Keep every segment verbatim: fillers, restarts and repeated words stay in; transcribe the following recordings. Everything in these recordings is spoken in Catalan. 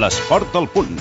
L'esport al punt.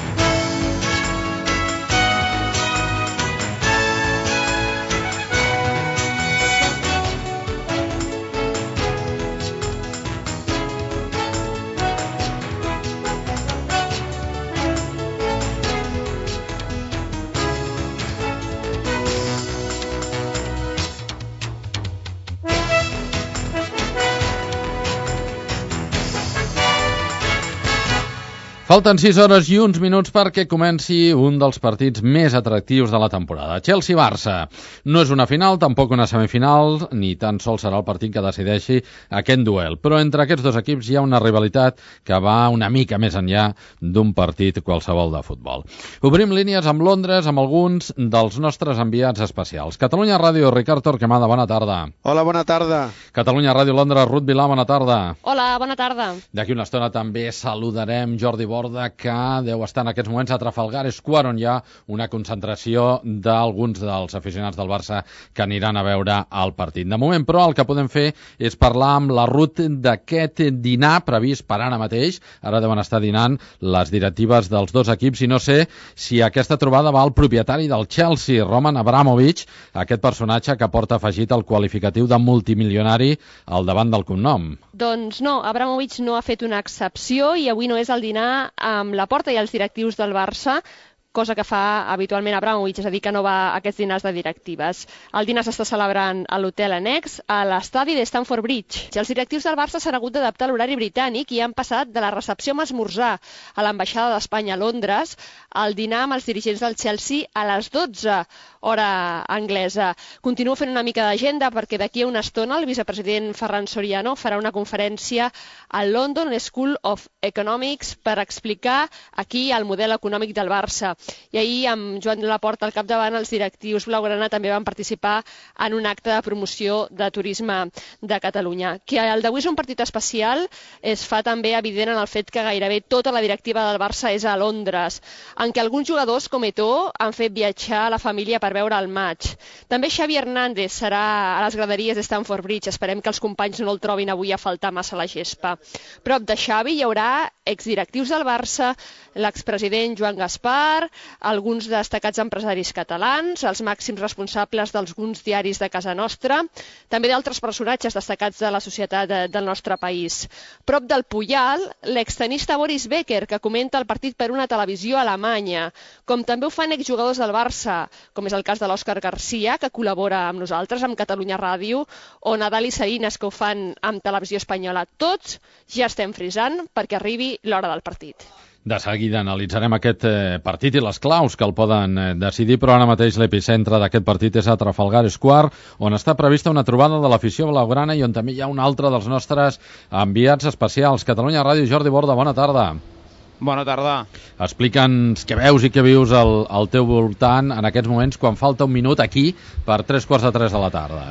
Falten sis hores i uns minuts perquè comenci un dels partits més atractius de la temporada. Chelsea-Barça. No és una final, tampoc una semifinal, ni tan sols serà el partit que decideixi aquest duel. Però entre aquests dos equips hi ha una rivalitat que va una mica més enllà d'un partit qualsevol de futbol. Obrim línies amb Londres amb alguns dels nostres enviats especials. Catalunya Ràdio, Ricard Torquemada, bona tarda. Hola, bona tarda. Catalunya Ràdio Londres, Ruth Vilà, bona tarda. Hola, bona tarda. D'aquí una estona també saludarem Jordi Borda, que deu estar en aquests moments a Trafalgar Square, on hi ha una concentració d'alguns dels aficionats del Barça que aniran a veure el partit. De moment, però, el que podem fer és parlar amb la Ruth d'aquest dinar previst per ara mateix. Ara deuen estar dinant les directives dels dos equips i no sé si aquesta trobada va al propietari del Chelsea, Roman Abramovich, aquest personatge que porta afegit el qualificatiu de multimilionari al davant del cognom. Doncs no, Abramovich no ha fet una excepció i avui no és el dinar amb la Porta i els directius del Barça, cosa que fa habitualment Abramovich, és a dir, que no va a aquests dinars de directives. El dinar s'està celebrant a l'hotel annex, a l'estadi de Stamford Bridge. Els directius del Barça s'han hagut d'adaptar a l'horari britànic i han passat de la recepció amb esmorzar a l'ambaixada d'Espanya a Londres al dinar amb els dirigents del Chelsea a les dotze, hora anglesa. Continuo fent una mica d'agenda perquè d'aquí a una estona el vicepresident Ferran Soriano farà una conferència al London School of Economics per explicar aquí el model econòmic del Barça. I ahir, amb Joan Laporta al capdavant, els directius blaugrana també van participar en un acte de promoció de turisme de Catalunya. Que el d'avui és un partit especial es fa també evident en el fet que gairebé tota la directiva del Barça és a Londres, en què alguns jugadors, com Eto'o, han fet viatjar a la família per veure el maig. També Xavi Hernández serà a les graderies de Stamford Bridge. Esperem que els companys no el trobin avui a faltar massa la gespa. Prop de Xavi hi haurà exdirectius del Barça, l'expresident Joan Gaspar, alguns destacats empresaris catalans, els màxims responsables d'alguns diaris de casa nostra, també d'altres personatges destacats de la societat de, del nostre país. Prop del Puyal, l'extenista Boris Becker, que comenta el partit per una televisió alemanya, com també ho fan exjugadors del Barça, com és el cas de l'Òscar Garcia, que col·labora amb nosaltres, amb Catalunya Ràdio, o Nadal i Sarinas, que ho fan amb Televisió Espanyola. Tots ja estem frisant perquè arribi l'hora del partit. De seguida analitzarem aquest eh, partit i les claus que el poden eh, decidir, però ara mateix l'epicentre d'aquest partit és a Trafalgar Square, on està prevista una trobada de l'afició blaugrana i on també hi ha un altre dels nostres enviats especials. Catalunya Ràdio, Jordi Borda, bona tarda. Bona tarda. Explica'ns què veus i què vius al, al teu voltant en aquests moments quan falta un minut aquí per tres quarts de tres de la tarda.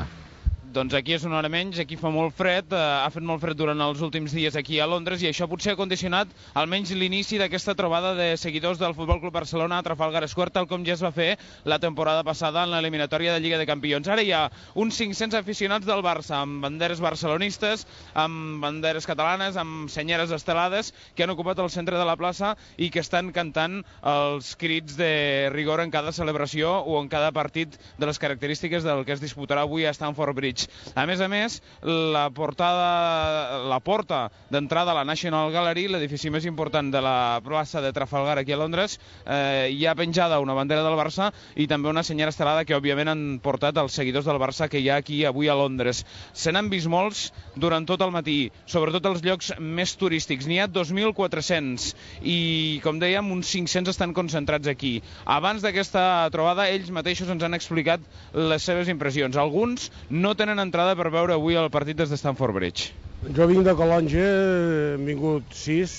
Doncs aquí és una hora menys, aquí fa molt fred, eh, ha fet molt fred durant els últims dies aquí a Londres i això potser ha condicionat almenys l'inici d'aquesta trobada de seguidors del Futbol Club Barcelona a Trafalgar Square, tal com ja es va fer la temporada passada en l'eliminatòria de Lliga de Campions. Ara hi ha uns cinc-cents aficionats del Barça amb banderes barcelonistes, amb banderes catalanes, amb senyeres estelades que han ocupat el centre de la plaça i que estan cantant els crits de rigor en cada celebració o en cada partit de les característiques del que es disputarà avui a Stamford Bridge. A més a més, la portada, la porta d'entrada a la National Gallery, l'edifici més important de la plaça de Trafalgar aquí a Londres, eh, hi ha penjada una bandera del Barça i també una senyera estelada que òbviament han portat els seguidors del Barça que hi ha aquí avui a Londres. Se n'han vist molts durant tot el matí, sobretot els llocs més turístics. N'hi ha dos mil quatre-cents i, com dèiem, uns cinc-cents estan concentrats aquí. Abans d'aquesta trobada, ells mateixos ens han explicat les seves impressions. Alguns no tenen entrada per veure avui el partit des de Stamford Bridge. Jo vinc de Calonge, hem vingut sis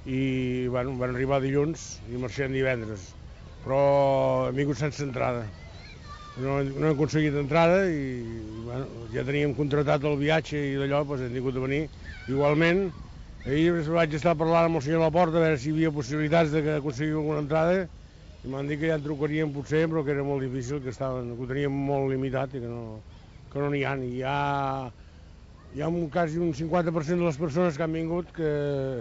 i bueno, van arribar dilluns i marxem divendres, però hem vingut sense entrada. No, no hem aconseguit entrada i bueno, ja teníem contractat el viatge i d'allò doncs hem tingut de venir. Igualment, ahir vaig estar parlant amb el senyor Laporta a veure si hi havia possibilitats d'aconseguir alguna entrada i m'han dit que ja en trucarien potser, però que era molt difícil, que, estaven, que ho teníem molt limitat i que no, que no n'hi ha. Hi ha hi ha un, quasi un cinquanta per cent de les persones que han vingut que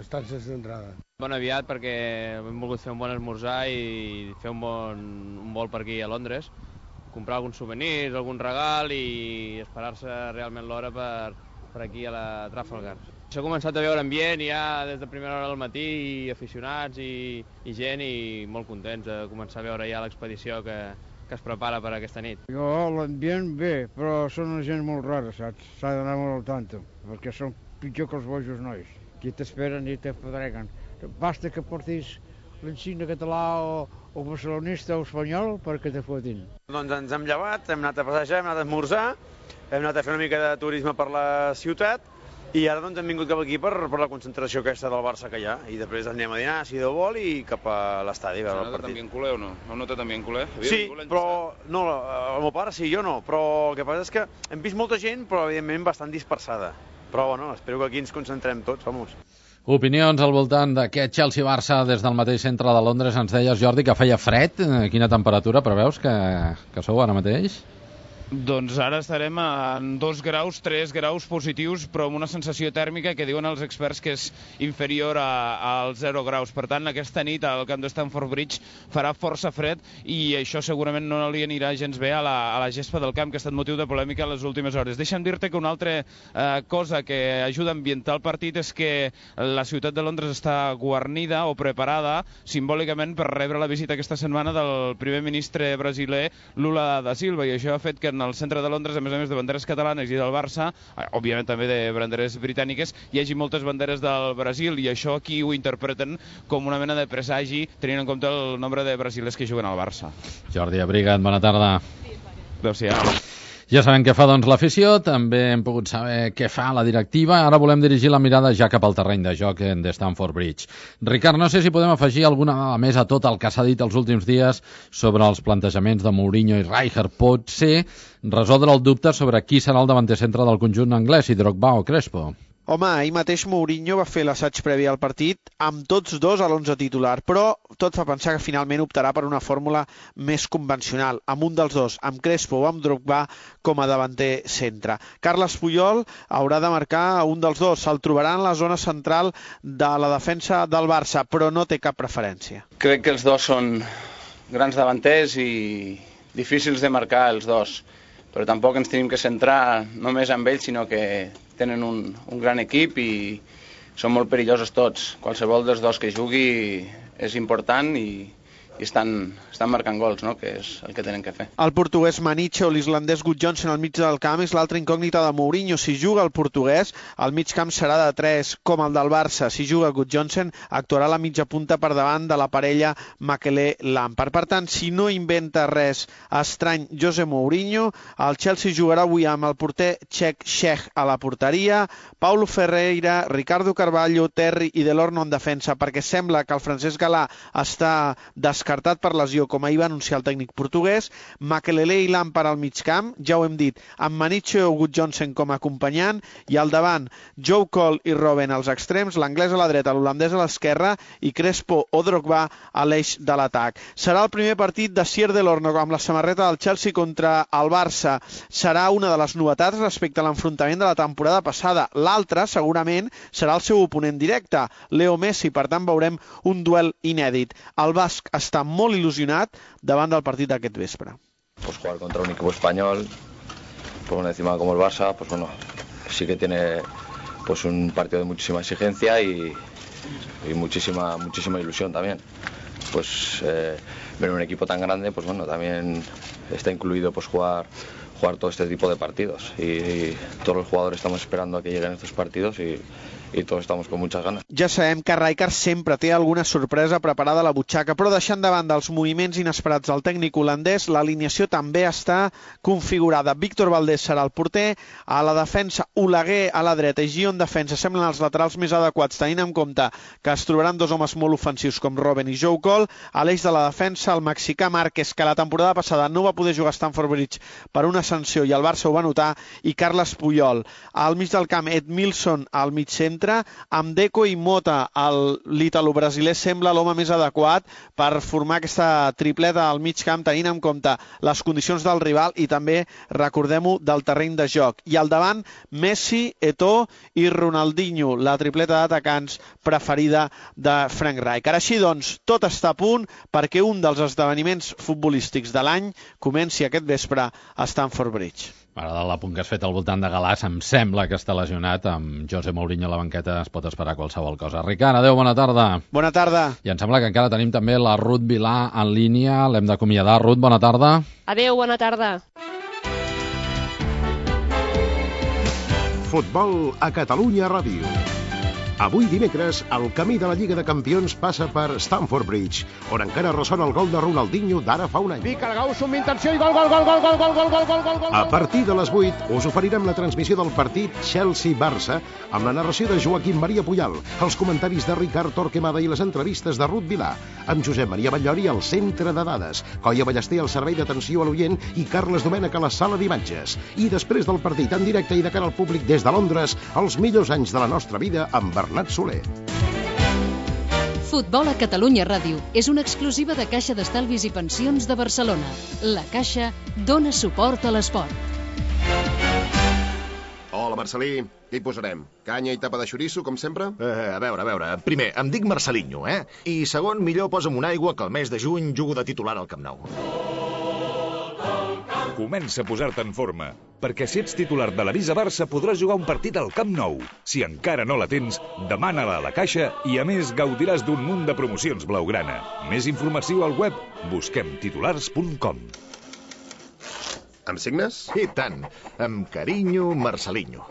estan sense entrada. Bon aviat perquè hem volgut fer un bon esmorzar i fer un bon un vol per aquí a Londres, comprar alguns souvenirs, algun regal i esperar-se realment l'hora per, per aquí a la Trafalgar. S'ha començat a veure ambient ja des de primera hora del matí, i aficionats i, i gent, i molt contents de començar a veure ja l'expedició que, que es prepara per aquesta nit. Jo, l'ambient bé, però són una gent molt rara, saps? S'ha d'anar molt al tanto, perquè són pitjor que els bojos nois. Aquí t'esperen i te fodreguen. Basta que portis l'insigne català o, o barcelonista o espanyol perquè te fotin. Doncs ens hem llevat, hem anat a passejar, hem anat a esmorzar, hem anat a fer una mica de turisme per la ciutat i ara doncs hem vingut cap aquí per, per la concentració aquesta del Barça que hi ha, i després anem a dinar, si Déu vol, i cap a l'estadi a veure el partit. ¿Has notado también culé o no? ¿Has notado también culé? Sí, però no, el meu pare sí, jo no, però el que passa és que hem vist molta gent, però evidentment bastant dispersada. Però bueno, espero que aquí ens concentrem tots, vamos. Opinions al voltant d'aquest Chelsea-Barça des del mateix centre de Londres. Ens deies, Jordi, que feia fred. Quina temperatura preveus que, que sou ara mateix? Doncs ara estarem a dos graus, tres graus positius, però amb una sensació tèrmica que diuen els experts que és inferior a, als zero graus. Per tant, aquesta nit al camp de Stamford Bridge farà força fred i això segurament no li anirà gens bé a la, a la gespa del camp, que ha estat motiu de polèmica en les últimes hores. Deixa'm dir-te que una altra eh, cosa que ajuda a ambientar el partit és que la ciutat de Londres està guarnida o preparada simbòlicament per rebre la visita aquesta setmana del primer ministre brasiler Lula da Silva, i això ha fet que en al centre de Londres, a més a més de banderes catalanes i del Barça, òbviament també de banderes britàniques, hi hagi moltes banderes del Brasil, i això aquí ho interpreten com una mena de presagi, tenint en compte el nombre de brasilers que juguen al Barça. Jordi Abrigat, bona tarda. Adéu-siau. Ja sabem què fa doncs l'afició, també hem pogut saber què fa la directiva. Ara volem dirigir la mirada ja cap al terreny de joc de Stamford Bridge. Ricard, no sé si podem afegir alguna dada més a tot el que s'ha dit els últims dies sobre els plantejaments de Mourinho i Rijkaard. Pot ser resoldre el dubte sobre qui serà el davanter centre del conjunt anglès, si Drogba o Crespo. Home, ahir mateix Mourinho va fer l'assaig previ al partit amb tots dos a l'onze titular, però tot fa pensar que finalment optarà per una fórmula més convencional, amb un dels dos, amb Crespo o amb Drogba com a davanter centre. Carles Puyol haurà de marcar un dels dos, se'l trobarà en la zona central de la defensa del Barça, però no té cap preferència. Crec que els dos són grans davanters i difícils de marcar els dos, però tampoc ens tenim que centrar només en ells, sinó que tenen un, un gran equip i són molt perillosos tots. Qualsevol dels dos que jugui és important i, i estan, estan marcant gols, no? Que és el que tenen que fer. El portuguès Maniche o l'islandès Gudjohnsen al mig del camp és l'altra incògnita de Mourinho. Si juga el portuguès, el mig camp serà de tres, com el del Barça. Si juga Gudjohnsen, actuarà la mitja punta per davant de la parella Makelele-Lampard. Per tant, si no inventa res estrany José Mourinho, el Chelsea jugarà avui amb el porter txec Cech a la porteria, Paulo Ferreira, Ricardo Carvalho, Terry i Delorno en defensa, perquè sembla que el Francesc Galà està descartat per lesió, com ahir va anunciar el tècnic portuguès. Makelele i Lampard al mig camp, ja ho hem dit, amb Maniche o Gudjohnsen com a acompanyant, i al davant Joe Cole i Robben als extrems, l'anglès a la dreta, l'holandès a l'esquerra i Crespo o Drogba a l'eix de l'atac. Serà el primer partit de Sier Delorno amb la samarreta del Chelsea contra el Barça. Serà una de les novetats respecte a l'enfrontament de la temporada passada. L'altra, segurament, serà el seu oponent directe, Leo Messi, per tant veurem un duel inèdit. El basc està molt il·lusionat davant del partit d'aquest vespre. Pues jugar contra un equipo español, pues bueno, encima como el Barça, pues bueno, sí que tiene pues un partido de muchísima exigencia y, y muchísima muchísima ilusión también. Pues eh, ver un equipo tan grande, pues bueno, también está incluido pues jugar jugar todo este tipo de partidos y, y todos los jugadores estamos esperando a que lleguen estos partidos y i tots estem con muchas ganas. Ja sabem que Rijkaard sempre té alguna sorpresa preparada a la butxaca, però deixant de banda els moviments inesperats del tècnic holandès, l'alineació també està configurada. Víctor Valdés serà el porter, a la defensa Oleguer a la dreta i Gio en defensa semblen els laterals més adequats, tenint en compte que es trobaran dos homes molt ofensius com Robben i Joe Cole. A l'eix de la defensa el mexicà Márquez, que la temporada passada no va poder jugar a Stamford Bridge per una sanció i el Barça ho va notar, i Carles Puyol. Al mig del camp Ed Milson al mig centre, centre amb Deco i Mota. L'italo-brasiler sembla l'home més adequat per formar aquesta tripleta al mig camp, tenint en compte les condicions del rival i també, recordem-ho, del terreny de joc. I al davant, Messi, Eto'o i Ronaldinho, la tripleta d'atacants preferida de Frank Rijkaard. Ara així, doncs, tot està a punt perquè un dels esdeveniments futbolístics de l'any comenci aquest vespre a Stamford Bridge. M'agrada l'apunt que has fet al voltant de Galàs. Em sembla que està lesionat. Amb José Mourinho a la banqueta es pot esperar qualsevol cosa. Ricard, adeu, bona tarda. Bona tarda. I em sembla que encara tenim també la Ruth Vilà en línia. L'hem d'acomiadar. Ruth, bona tarda. Adeu, bona tarda. Futbol a Catalunya Ràdio. Avui dimecres, el camí de la Lliga de Campions passa per Stamford Bridge, on encara ressona el gol de Ronaldinho d'ara fa un any. Pica el Gauss amb intenció i gol, gol, gol, gol, gol, gol, gol, gol, gol, gol. A partir de les vuit us oferirem la transmissió del partit Chelsea-Barça amb la narració de Joaquim Maria Puyal, els comentaris de Ricard Torquemada i les entrevistes de Ruth Vilà, amb Josep Maria Batllori al centre de dades, Coia Ballester al servei d'atenció a l'oient i Carles Domènech a la sala d'imatges. I després del partit en directe i de cara al públic des de Londres, els millors anys de la nostra vida amb Bernat Soler. Futbol a Catalunya Ràdio és una exclusiva de Caixa d'Estalvis i Pensions de Barcelona. La Caixa dona suport a l'esport. Hola, Marcelí. Què hi posarem? Canya i tapa de xoriço, com sempre? Eh, a veure, a veure. Primer, em dic Marcelinho, eh? I segon, millor posa'm una aigua que el mes de juny jugo de titular al Camp Nou. Comença a posar-te en forma, perquè si ets titular de l'Avisa Barça podràs jugar un partit al Camp Nou. Si encara no la tens, demana-la a la Caixa i a més gaudiràs d'un munt de promocions blaugrana. Més informació al web busquem titulars punt com. Em signes? I tant. Amb carinyo, Marcelinho.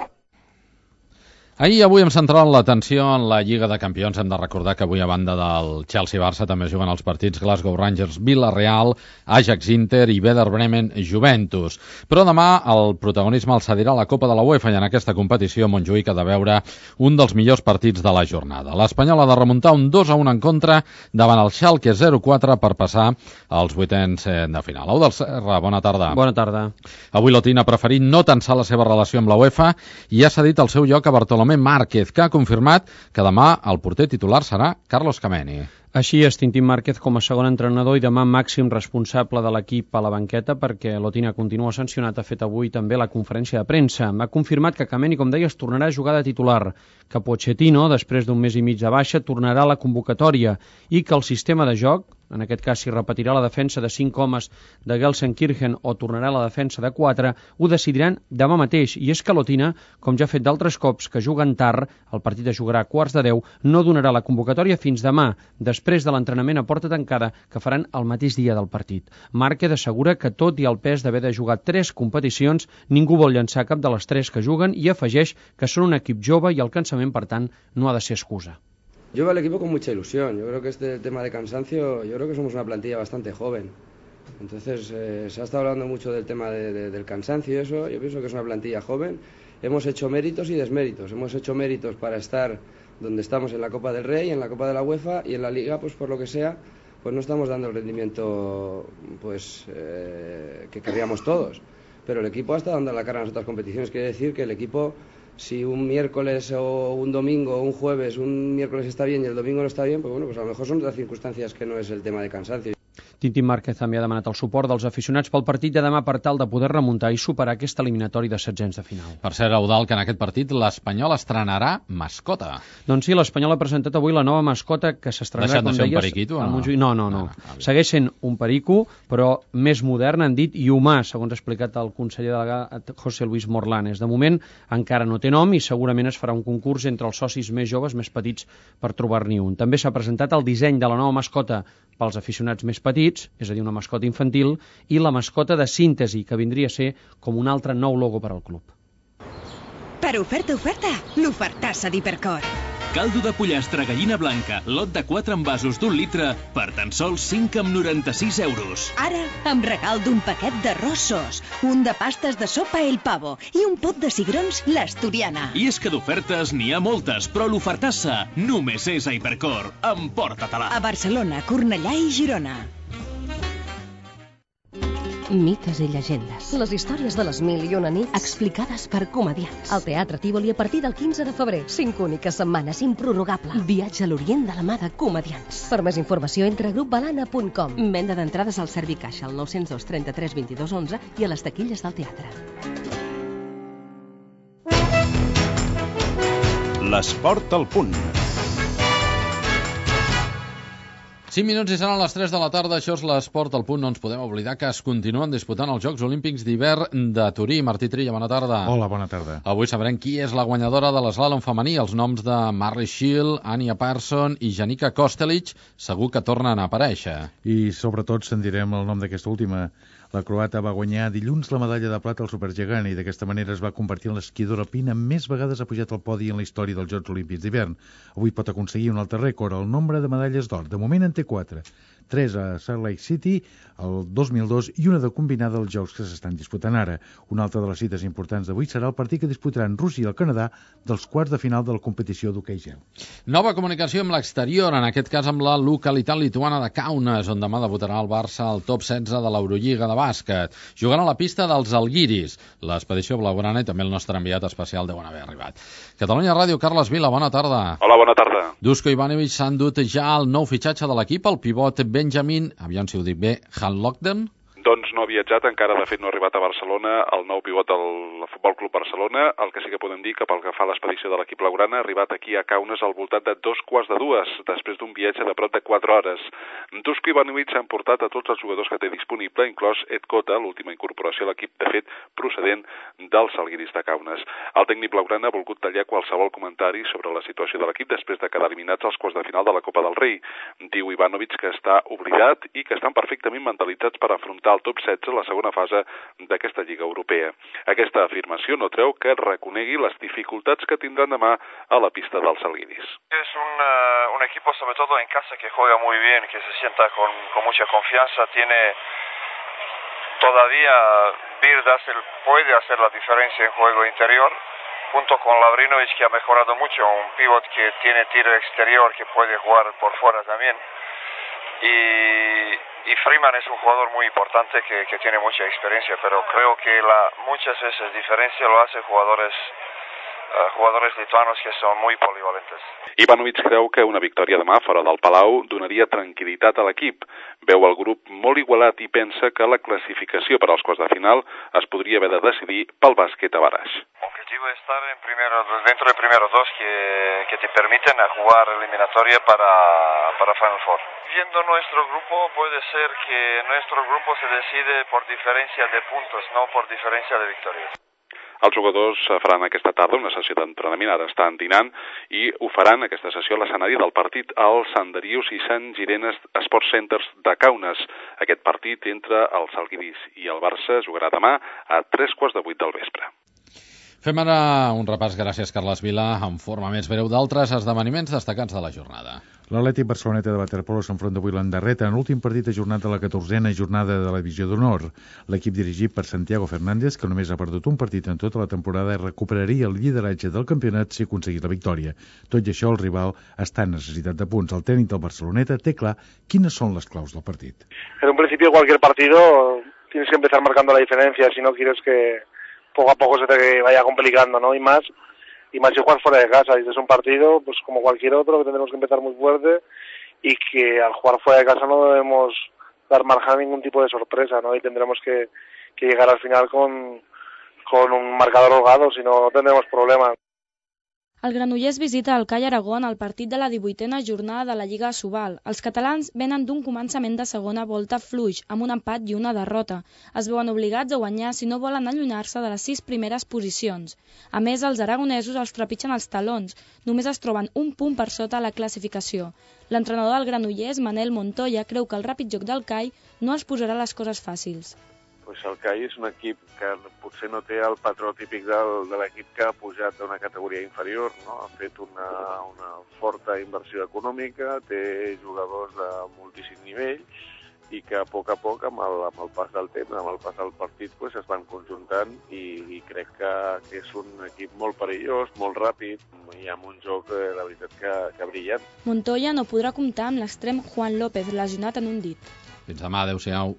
Ahir i avui hem centrat l'atenció en la Lliga de Campions. Hem de recordar que avui, a banda del Chelsea-Barça, també juguen els partits Glasgow Rangers-Villarreal, Ajax-Inter i Werder Bremen-Juventus. Però demà el protagonisme el cedirà la Copa de la UEFA i en aquesta competició Montjuïc ha de veure un dels millors partits de la jornada. L'Espanyol ha de remuntar un dos a un en contra davant el Schalke zero quatre per passar als vuitens de final. Au del Serra, bona tarda. Bona tarda. Avui l'Otín ha preferit no tensar la seva relació amb la UEFA i ha cedit el seu lloc a Bartolomé Márquez, que ha confirmat que demà el porter titular serà Carlos Kameni. Així és, Tintín Márquez com a segon entrenador i demà màxim responsable de l'equip a la banqueta, perquè l'Otina continua sancionat. Ha fet avui també la conferència de premsa. Ha confirmat que Kameni, com deies, tornarà a jugar de titular, que Pochettino, després d'un mes i mig de baixa, tornarà a la convocatòria i que el sistema de joc, en aquest cas si repetirà la defensa de cinc homes de Gelsenkirchen o tornarà a la defensa de quatre, ho decidiran demà mateix. I és que l'Otina, com ja ha fet d'altres cops que juguen tard, el partit es jugarà a quarts de deu, no donarà la convocatòria fins demà, després de l'entrenament a porta tancada que faran el mateix dia del partit. Márquez assegura que tot i el pes d'haver de jugar tres competicions, ningú vol llançar cap de les tres que juguen i afegeix que són un equip jove i el cansament, per tant, no ha de ser excusa. Yo veo al equipo con mucha ilusión. Yo creo que este tema de cansancio, yo creo que somos una plantilla bastante joven. Entonces, eh, se ha estado hablando mucho del tema de, de, del cansancio y eso. Yo pienso que es una plantilla joven. Hemos hecho méritos y desméritos. Hemos hecho méritos para estar donde estamos en la Copa del Rey, en la Copa de la UEFA y en la Liga, pues por lo que sea, pues no estamos dando el rendimiento pues eh, que querríamos todos. Pero el equipo ha estado dando la cara en las otras competiciones. Quiere decir que el equipo, si un miércoles o un domingo o un jueves, un miércoles está bien y el domingo no está bien, pues bueno, pues a lo mejor son otras circunstancias que no es el tema de cansancio. Tintín Márquez també ha demanat el suport dels aficionats pel partit de demà per tal de poder remuntar i superar aquest eliminatori de setzents de final. Per cert, Eudald, que en aquest partit l'Espanyol estrenarà mascota. Doncs sí, l'Espanyol ha presentat avui la nova mascota que s'estrenarà, com deies... Deixant de ser un periquito o no? No, no, no. no. Segueix sent un perico, però més modern, han dit, i humà, segons ha explicat el conseller delegat José Luis Morlanes. De moment encara no té nom i segurament es farà un concurs entre els socis més joves, més petits, per trobar-n'hi un. També s'ha presentat el disseny de la nova mascota pels aficionats més petits, és a dir, una mascota infantil, i la mascota de síntesi, que vindria a ser com un altre nou logo per al club. Per oferta, oferta, l'ofertassa d'Hipercor. Caldo de pollastre gallina blanca, lot de quatre envasos d'un litre, per tan sols cinc coma noranta-sis euros. Ara, amb regal d'un paquet d'arrossos, un de pastes de sopa El Pavo i un pot de cigrons l'Asturiana. I és que d'ofertes n'hi ha moltes, però l'ofertassa només és a Hipercor. Emporta-te-la. A Barcelona, Cornellà i Girona. mites i llegendes. Les històries de les mil i una nits explicades per comediants. Al Teatre Tívoli a partir del quinze de febrer. Cinc úniques setmanes, improrrogable. Viatge a l'Orient de la mà de comediants. Per més informació entra a grup balana punt com. Venda d'entrades al Servicaixa al nou zero dos trenta-tres vint-i-dos onze i a les taquilles del teatre. L'esport al punt. cinc minuts i seran les tres de la tarda, això és l'esport al punt. No ens podem oblidar que es continuen disputant els Jocs Olímpics d'hivern de Turí. Martí Trilla, bona tarda. Hola, bona tarda. Avui sabrem qui és la guanyadora de l'eslàlom femení. Els noms de Marley Shield, Anya Parson i Janica Kostelic segur que tornen a aparèixer. I sobretot sentirem el nom d'aquesta última. La croata va guanyar dilluns la medalla de plata al supergegant i d'aquesta manera es va convertir en l'esquiadora alpina més vegades ha pujat al podi en la història dels Jocs Olímpics d'hivern. Avui pot aconseguir un altre rècord, el nombre de medalles d'or. De moment en té quatre. Tres a Salt Lake City, el dos mil dos, i una de combinada als Jocs que s'estan disputant ara. Una altra de les cites importants d'avui serà el partit que disputaran Rússia i el Canadà dels quarts de final de la competició d'hoquei gel. Nova comunicació amb l'exterior, en aquest cas amb la localitat lituana de Kaunas, on demà debutarà el Barça al top setze de l'Eurolliga de bàsquet. Jugant a la pista dels Alguiris. L'expedició blaugrana i també el nostre enviat especial deuen haver arribat. Catalunya Ràdio, Carles Vila, bona tarda. Hola, bona tarda. Dusko Ivanovic s'ha endut ja el nou fitxatge de l'equip, el pivot Benjamin, aviam si ho dic bé, Hanlogden. Doncs no ha viatjat, encara de fet no ha arribat a Barcelona, el nou pivot del Futbol Club Barcelona. El que sí que podem dir que pel que fa a l'expedició de l'equip blaugrana ha arribat aquí a Kaunas al voltant de dos quarts de dues, després d'un viatge de prop de quatre hores. Dusko Ivanovic s'ha emportat a tots els jugadors que té disponible, inclòs Ed Cota, l'última incorporació a l'equip, de fet, procedent dels Alguiris de Kaunas. El tècnic blaugrana ha volgut tallar qualsevol comentari sobre la situació de l'equip després de quedar eliminats als quarts de final de la Copa del Rei. Diu Ivanovic que està oblidat i que estan perfectament mentalitzats per afrontar el top setze, la segona fase d'aquesta Lliga Europea. Aquesta afirmació no treu que reconegui les dificultats que tindran demà a la pista dels Alguiris. Es un, uh, un equipo, sobre todo en casa, que juega muy bien, que se sienta con, con mucha confianza, tiene todavía Bird hace, puede hacer la diferencia en juego interior, junto con Lavrinovic, que ha mejorado mucho, un pivot que tiene tiro exterior, que puede jugar por fuera también. Y, y Freeman es un jugador muy importante que, que tiene mucha experiencia, pero creo que la, muchas veces diferencia lo hace jugadores, uh, jugadores lituanos que son muy polivalentes. Ivanovic creu que una victòria demà fora del Palau donaria tranquil·litat a l'equip. Veu el grup molt igualat i pensa que la classificació per als quarts de final es podria haver de decidir pel bàsquet a Baraix. Objetivo es estar en primero, dentro de primeros dos que, que te permiten a jugar eliminatoria para, para Final Four. Viendo nuestro grupo, puede ser que nuestro grupo se decide por diferencia de puntos, no por diferencia de victorias. Els jugadors faran aquesta tarda una sessió d'entrenament, ara estan dinant, i ho faran aquesta sessió a l'escenari del partit al Sant Darius i Sant Girenes Sports Centers de Kaunas. Aquest partit entre els Alguiris i el Barça jugarà demà a tres quarts de vuit del vespre. Fem ara un repàs, gràcies Carles Vila, en forma més breu d'altres esdeveniments destacats de la jornada. L'Atlètic Barceloneta de waterpolo s'enfronta avui l'Endarreta en l'últim partit ajornat de la catorzena jornada de la Divisió d'Honor. L'equip dirigit per Santiago Fernández, que només ha perdut un partit en tota la temporada, recuperaria el lideratge del campionat si aconseguís la victòria. Tot i això, el rival està en necessitat de punts. El tècnic del Barceloneta té clar quines són les claus del partit. En un principio, cualquier partido tienes que empezar marcando la diferencia si no quieres que poco a poco se te vaya complicando, ¿no? Y más, y más si juegas fuera de casa. Y es un partido, pues como cualquier otro, que tendremos que empezar muy fuerte y que al jugar fuera de casa no debemos dar margen a ningún tipo de sorpresa, ¿no? Y tendremos que, que llegar al final con, con un marcador holgado, si no, no tendremos problemas. El Granollers visita el Call Aragón al partit de la divuitena jornada de la Lliga Asobal. Els catalans venen d'un començament de segona volta fluix, amb un empat i una derrota. Es veuen obligats a guanyar si no volen allunyar-se de les sis primeres posicions. A més, els aragonesos els trepitgen els talons. Només es troben un punt per sota a la classificació. L'entrenador del Granollers, Manel Montoya, creu que el ràpid joc del Call no els posarà les coses fàcils. Pues el C A I és un equip que potser no té el patró típic del, de l'equip que ha pujat d'una categoria inferior, no? Ha fet una, una forta inversió econòmica, té jugadors de moltíssim nivell i que a poc a poc, amb el, amb el pas del temps, amb el pas del partit, pues, es van conjuntant i, i crec que, que és un equip molt perillós, molt ràpid i amb un joc, eh, la veritat, que, que brillant. Montoya no podrà comptar amb l'extrem Juan López, lesionat en un dit. Fins demà, adeu-siau.